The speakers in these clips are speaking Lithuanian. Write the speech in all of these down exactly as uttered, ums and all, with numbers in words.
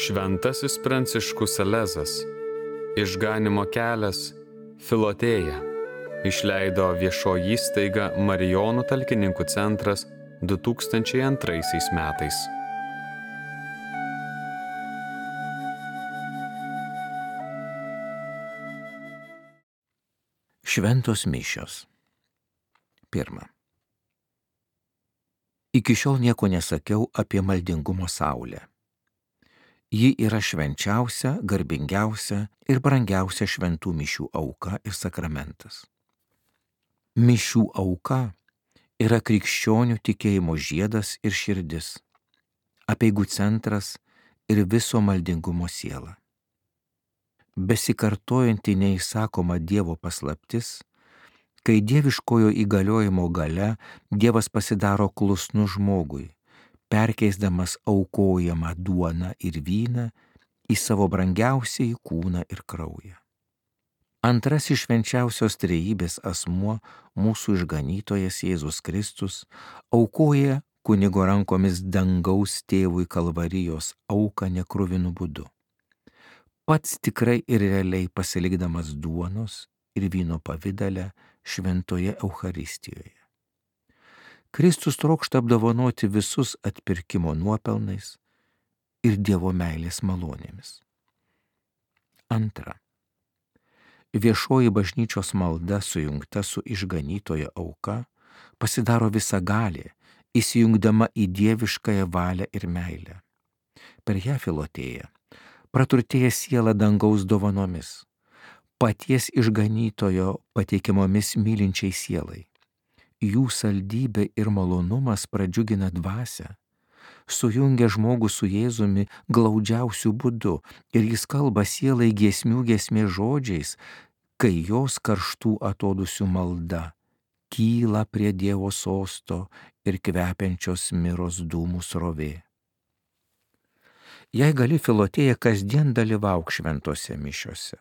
Šventasis Pranciškus Salezas, Išganymo kelias, Filotėja, išleido viešoji įstaiga Marijonų talkininkų centras du tūkstančiai antraisiais metais. Šventos mišios. Pirma. Iki šiol nieko nesakiau apie maldingumo saulę. Ji yra švenčiausia, garbingiausia ir brangiausia šventų mišių auka ir sakramentas. Mišių auka yra krikščionių tikėjimo žiedas ir širdis, apeigų centras ir viso maldingumo siela. Besikartojanti neįsakoma Dievo paslaptis, kai dieviškojo įgaliojimo gale Dievas pasidaro klusnus žmogui, perkeisdamas aukojamą duoną ir vyną į savo brangiausiąjį kūną ir kraują. Antrasis švenčiausios trejybės asmuo, mūsų išganytojas Jėzus Kristus, aukoja kunigo rankomis dangaus tėvui Kalvarijos auką nekruvinu būdu. Pats tikrai ir realiai pasilikdamas duonos ir vyno pavidale šventoje Eucharistijoje. Kristus trokšta apdovanoti visus atpirkimo nuopelnais ir Dievo meilės malonėmis. Antra. Viešoji bažnyčios malda sujungta su išganytojo auka pasidaro visagalė, įsijungdama į dieviškąją valią ir meilę. Per ją Filotėja praturtėja siela dangaus dovanomis, paties išganytojo pateikiamomis mylinčiai sielai. Jų saldybė ir malonumas pradžiugina dvasią, sujungia žmogų su Jėzumi glaudžiausiu būdu ir jis kalba sielai giesmių giesmės žodžiais, kai jos karštų atodūsių malda kyla prie Dievo sosto ir kvepiančios miros dūmų srovė. Jei gali, Filotėja, kasdien dalyvauk šventose mišiose.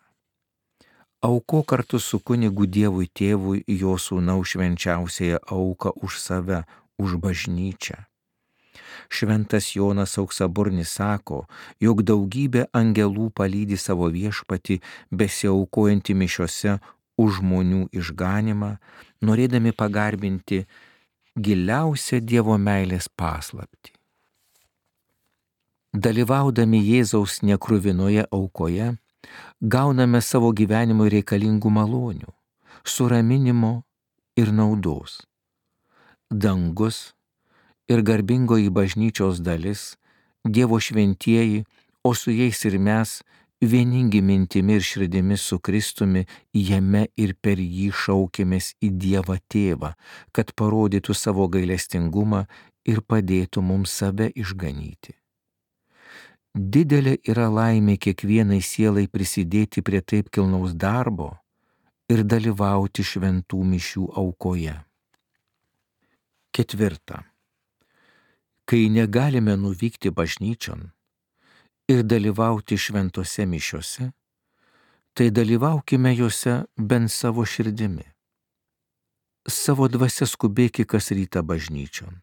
Auko kartu su kunigu Dievui tėvui jo sūnaus švenčiausiąją auką už save, už bažnyčią. Šventas Jonas Auksaburnis sako, jog daugybė angelų palydi savo viešpatį besiaukojantį mišiose už žmonių išganymą, norėdami pagarbinti giliausią Dievo meilės paslaptį. Dalyvaudami Jėzaus nekruvinoje aukoje, gauname savo gyvenimui reikalingų malonių, suraminimo ir naudos. Dangus ir garbingoji bažnyčios dalis, Dievo šventieji, o su jais ir mes, vieningi mintimi ir širdimi su Kristumi, jame ir per jį šaukėmės į Dievą Tėvą, kad parodytų savo gailestingumą ir padėtų mums save išganyti. Didelė yra laimė kiekvienai sielai prisidėti prie taip kilnaus darbo ir dalyvauti šventų mišių aukoje. Ketvirta. Kai negalime nuvykti bažnyčion ir dalyvauti šventose mišiose, tai dalyvaukime juose bent savo širdimi. Savo dvasia skubėki kas rytą bažnyčion.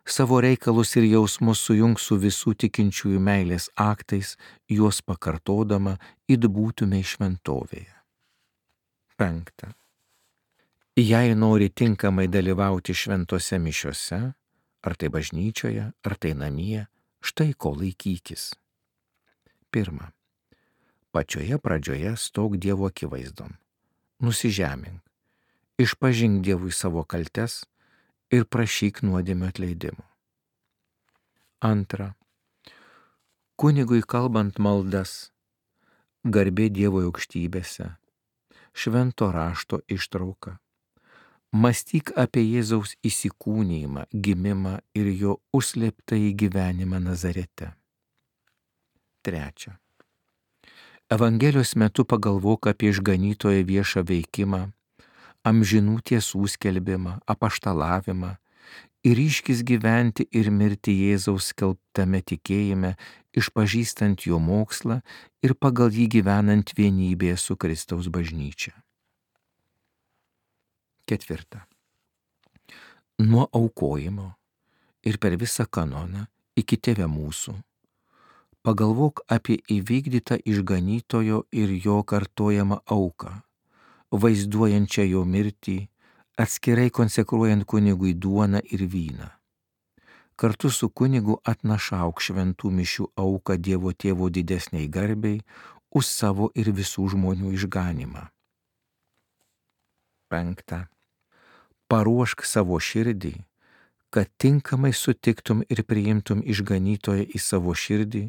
Savo reikalus ir jausmus sujung su visų tikinčiųjų meilės aktais, juos pakartodama, it būtume šventovėje. Penkta. Jei nori tinkamai dalyvauti šventose mišiose, ar tai bažnyčioje, ar tai namie, štai ko laikykis. Pirma. Pačioje pradžioje stok Dievo akivaizdon. Nusižemink. Išpažink Dievui savo kaltes ir prašyk nuodėmių atleidimo. Antra. Kunigui kalbant maldas, garbė Dievo aukštybėse, švento rašto ištrauka. Mąstyk apie Jėzaus įsikūnijimą, gimimą ir jo užslėptąjį gyvenimą Nazarete. Trečia. Evangelijos metu pagalvok apie išganytojo viešą veikimą, amžinų tiesų skelbimą, apaštalavimą ir ryškis gyventi ir mirti Jėzaus skelbtame tikėjime, išpažįstant jo mokslą ir pagal jį gyvenant vienybėje su Kristaus bažnyčia. Ketvirta. Nuo aukojimo ir per visą kanoną iki Tėve mūsų Pagalvok apie įvykdytą išganytojo ir jo kartojamą auką, vaizduojančią jo mirtį, atskirai konsekruojant kunigui duoną ir vyną. Kartu su kunigu atnašauk šventų mišių auką Dievo Tėvo didesniai garbei už savo ir visų žmonių išganimą. Penkta. Paruošk savo širdį, kad tinkamai sutiktum ir priimtum išganytoją į savo širdį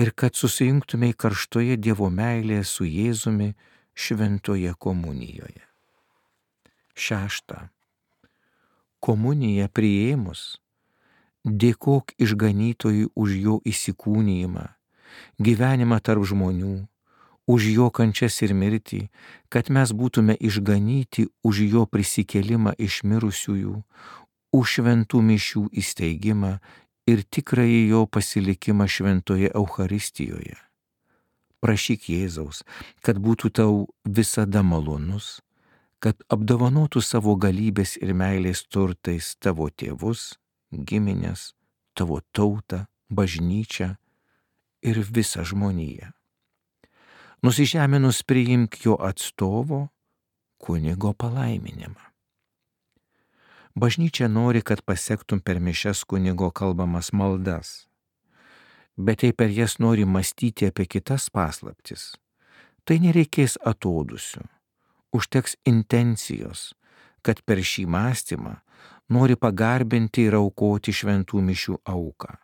ir kad susijungtumei karštoje Dievo meilėje su Jėzumi šventoje komunijoje. Šešta. Komuniją priėmus, dėkok išganytojui už jo įsikūnijimą, gyvenimą tarp žmonių, už jo kančias ir mirtį, kad mes būtume išganyti už jo prisikėlimą iš mirusiųjų, už šventų mišių įsteigimą ir tikrąjį jo pasilikimą šventoje Eucharistijoje. Prašyk Jėzaus, kad būtų tau visada malonus, kad apdovanotų savo galybės ir meilės turtais tavo tėvus, giminės, tavo tautą, bažnyčią ir visą žmoniją. Nusižeminus priimk jo atstovo, kunigo palaiminimą. Bažnyčia nori, kad pasektum per mišias kunigo kalbamas maldas, bet jei per jas nori mąstyti apie kitas paslaptis, tai nereikės atodūsių, užteks intencijos, kad per šį mąstymą nori pagarbinti ir aukoti šventų mišių auką.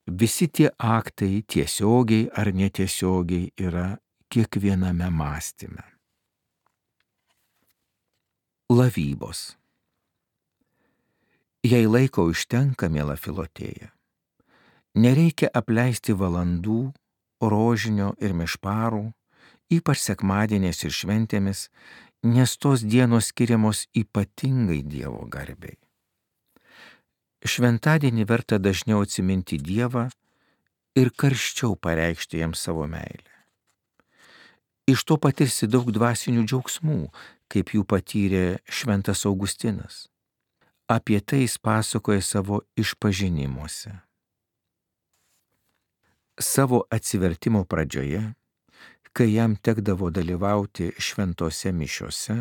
Visi tie aktai tiesiogiai ar netiesiogiai yra kiekviename mąstyme. Lavybos. Jei laiko užtenka, miela Filotėja, nereikia apleisti valandų, rožinio ir mišparų, ypač sekmadieniais ir šventėmis, nes tos dienos skiriamos ypatingai Dievo garbei. Šventadienį verta dažniau atsiminti Dievą ir karščiau pareikšti jam savo meilę. Iš to patirsi daug dvasinių džiaugsmų, kaip jų patyrė šventas Augustinas. Apie tai jis pasakoja savo išpažinimuose. Savo atsivertimo pradžioje, kai jam tekdavo dalyvauti šventose mišiose,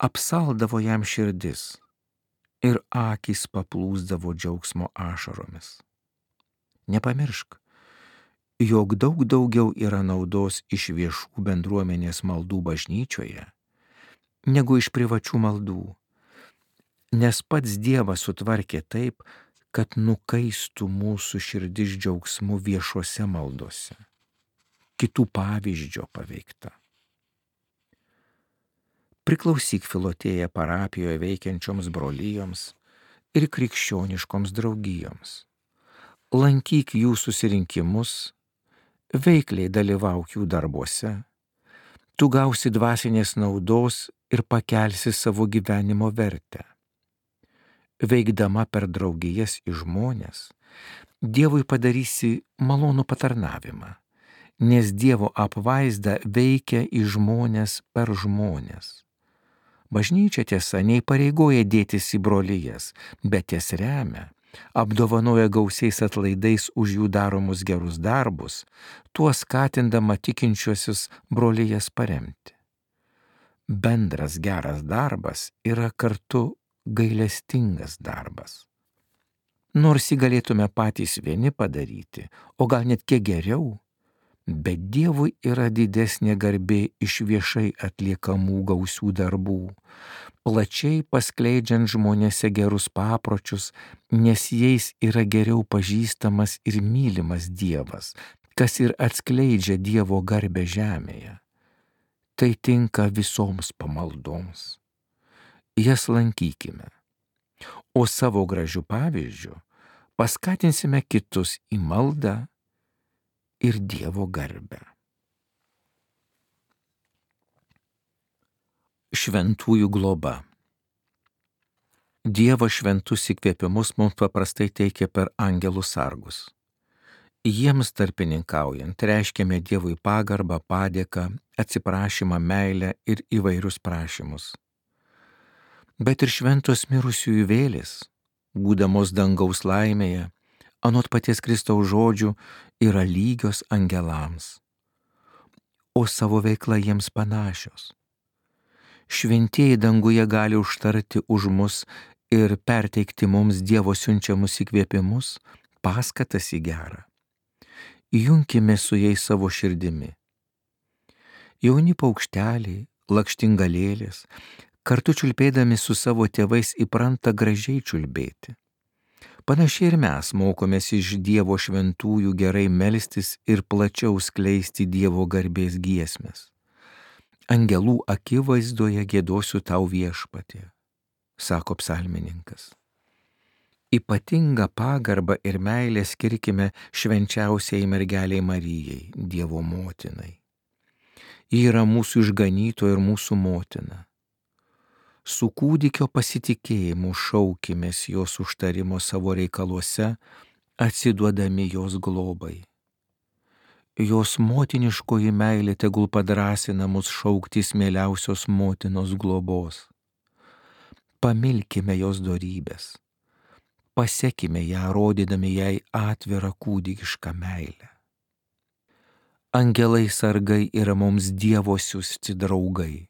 apsaldavo jam širdis ir akys paplūsdavo džiaugsmo ašaromis. Nepamiršk, jog daug daugiau yra naudos iš viešų bendruomenės maldų bažnyčioje, negu iš privačių maldų, nes pats Dievas sutvarkė taip, kad nukaistų mūsų širdis džiaugsmu viešose maldose, kitų pavyzdžio paveikta. Priklausyk Filotėja parapijoje veikiančioms brolijoms ir krikščioniškoms draugijoms. Lankyk jų susirinkimus, veikliai dalyvauk jų darbuose, tu gausi dvasinės naudos ir pakelsi savo gyvenimo vertę. Veikdama per draugijas į žmonės, Dievui padarysi malonų patarnavimą, nes Dievo apvaizda veikia į žmonės per žmonės. Bažnyčia tiesa neįpareigoja dėtis į brolijas, bet jas remia, apdovanoja gausiais atlaidais už jų daromus gerus darbus, tuo skatindama tikinčiuosius brolijas paremti. Bendras geras darbas yra kartu gailestingas darbas. Nors jį galėtume patys vieni padaryti, o gal net kiek geriau, bet Dievui yra didesnė garbė iš viešai atliekamų gausių darbų, plačiai paskleidžiant žmonėse gerus papročius, nes jais yra geriau pažįstamas ir mylimas Dievas, kas ir atskleidžia Dievo garbę žemėje. Tai tinka visoms pamaldoms. Jas lankykime, o savo gražių pavyzdžių paskatinsime kitus į maldą ir Dievo garbę. Šventųjų globa. Dievo šventus įkvėpimus mums paprastai teikia per angelų sargus. Jiems tarpininkaujant reiškiame Dievui pagarbą, padėką, atsiprašymą, meilę ir įvairius prašymus. Bet ir šventos mirusiųjų vėlės, būdamos dangaus laimėje, anot paties Kristaus žodžių, yra lygios angelams, o savo veikla jiems panašios. Šventieji danguje gali užtarti už mus ir perteikti mums Dievo siunčiamus įkvėpimus, paskatas į gerą. Junkime su jais savo širdimi. Jauni paukšteliai, lakštingalėlės, kartu čiulbėdami su savo tėvais įpranta gražiai čiulbėti. Panašiai ir mes mokomės iš Dievo šventųjų gerai melstis ir plačiau skleisti Dievo garbės giesmes. Angelų akivaizdoje giedosiu tau viešpatie, sako psalmininkas. Ypatingą pagarbą ir meilę skirkime švenčiausiai mergeliai Marijai, Dievo motinai. Ji yra mūsų išganytoja ir mūsų motina. Su kūdikio pasitikėjimu šaukimės jos užtarimo savo reikaluose, atsiduodami jos globai. Jos motiniškoji meilė tegul padrąsina mus šauktis mieliausios motinos globos. Pamilkime jos dorybės, pasekime ją, rodydami jai atvirą kūdikišką meilę. Angelai sargai yra mums Dievo siųsti draugai.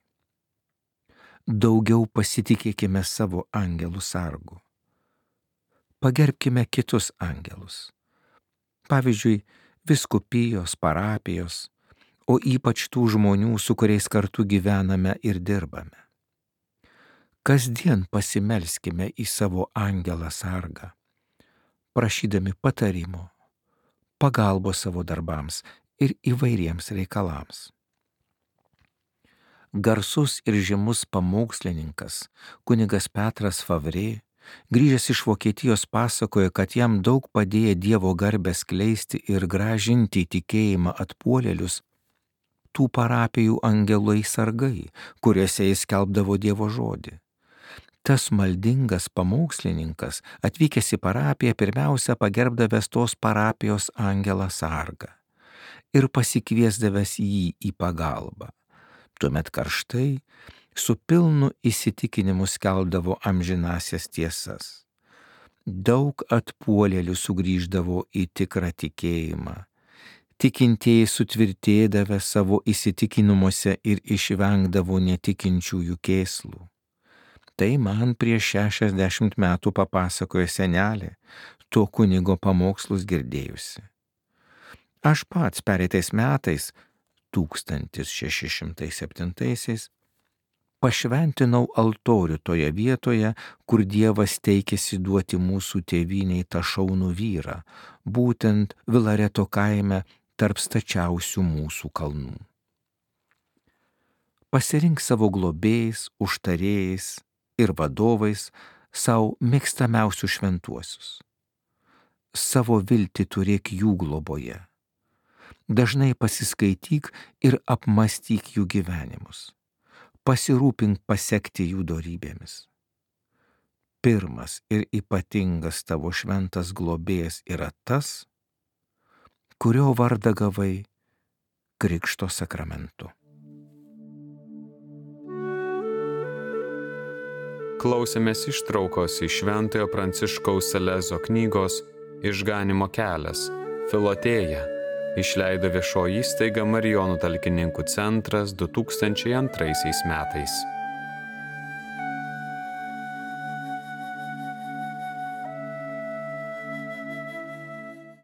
Daugiau pasitikėkime savo angelų sargu. Pagerbkime kitus angelus. Pavyzdžiui, vyskupijos, parapijos, o ypač tų žmonių, su kuriais kartu gyvename ir dirbame. Kasdien pasimelskime į savo angelą sargą, prašydami patarimo, pagalbos savo darbams ir įvairiems reikalams. Garsus ir žymus pamokslininkas kunigas Petras Favrė, grįžęs iš Vokietijos, pasakoja, kad jam daug padėjo Dievo garbę skleisti ir gražinti tikėjimą atpuolėlius tų parapijų angelai sargai, kuriuose jis skelbdavo Dievo žodį. Tas maldingas pamokslininkas, atvykęs į parapiją, pirmiausia pagerbdavęs tos parapijos angelą sargą ir pasikviesdavęs jį į pagalbą. Tuomet karštai, su pilnu įsitikinimu skelbdavo amžinasias tiesas. Daug atpuolėlių sugrįždavo į tikrą tikėjimą. Tikintieji sutvirtėdavę savo įsitikinimuose ir išvengdavo netikinčiųjų kėslų. Tai man prieš šešiasdešimt metų papasakojo senelė, to kunigo pamokslus girdėjusi. Aš pats pereitais metais, tūkstantis šeši šimtai septintaisiais, pašventinau altorių toje vietoje, kur Dievas teikėsi duoti mūsų tėvynei tą šaunų vyrą, būtent Vilareto kaime tarp stačiausių mūsų kalnų. Pasirink savo globėjais, užtarėjais ir vadovais savo mėgstamiausius šventuosius. Savo viltį turėk jų globoje. Dažnai pasiskaityk ir apmastyk jų gyvenimus. Pasirūpink pasekti jų dorybėmis. Pirmas ir ypatingas tavo šventas globėjas yra tas, kurio vardą gavai Krikšto sakramentu. Klausėmės ištraukos iš Šventojo Pranciškaus Salezo knygos Išganymo kelias, Filotėja. Išleido viešoji įstaiga Marijonų talkininkų centras du tūkstančiai antraisiais metais.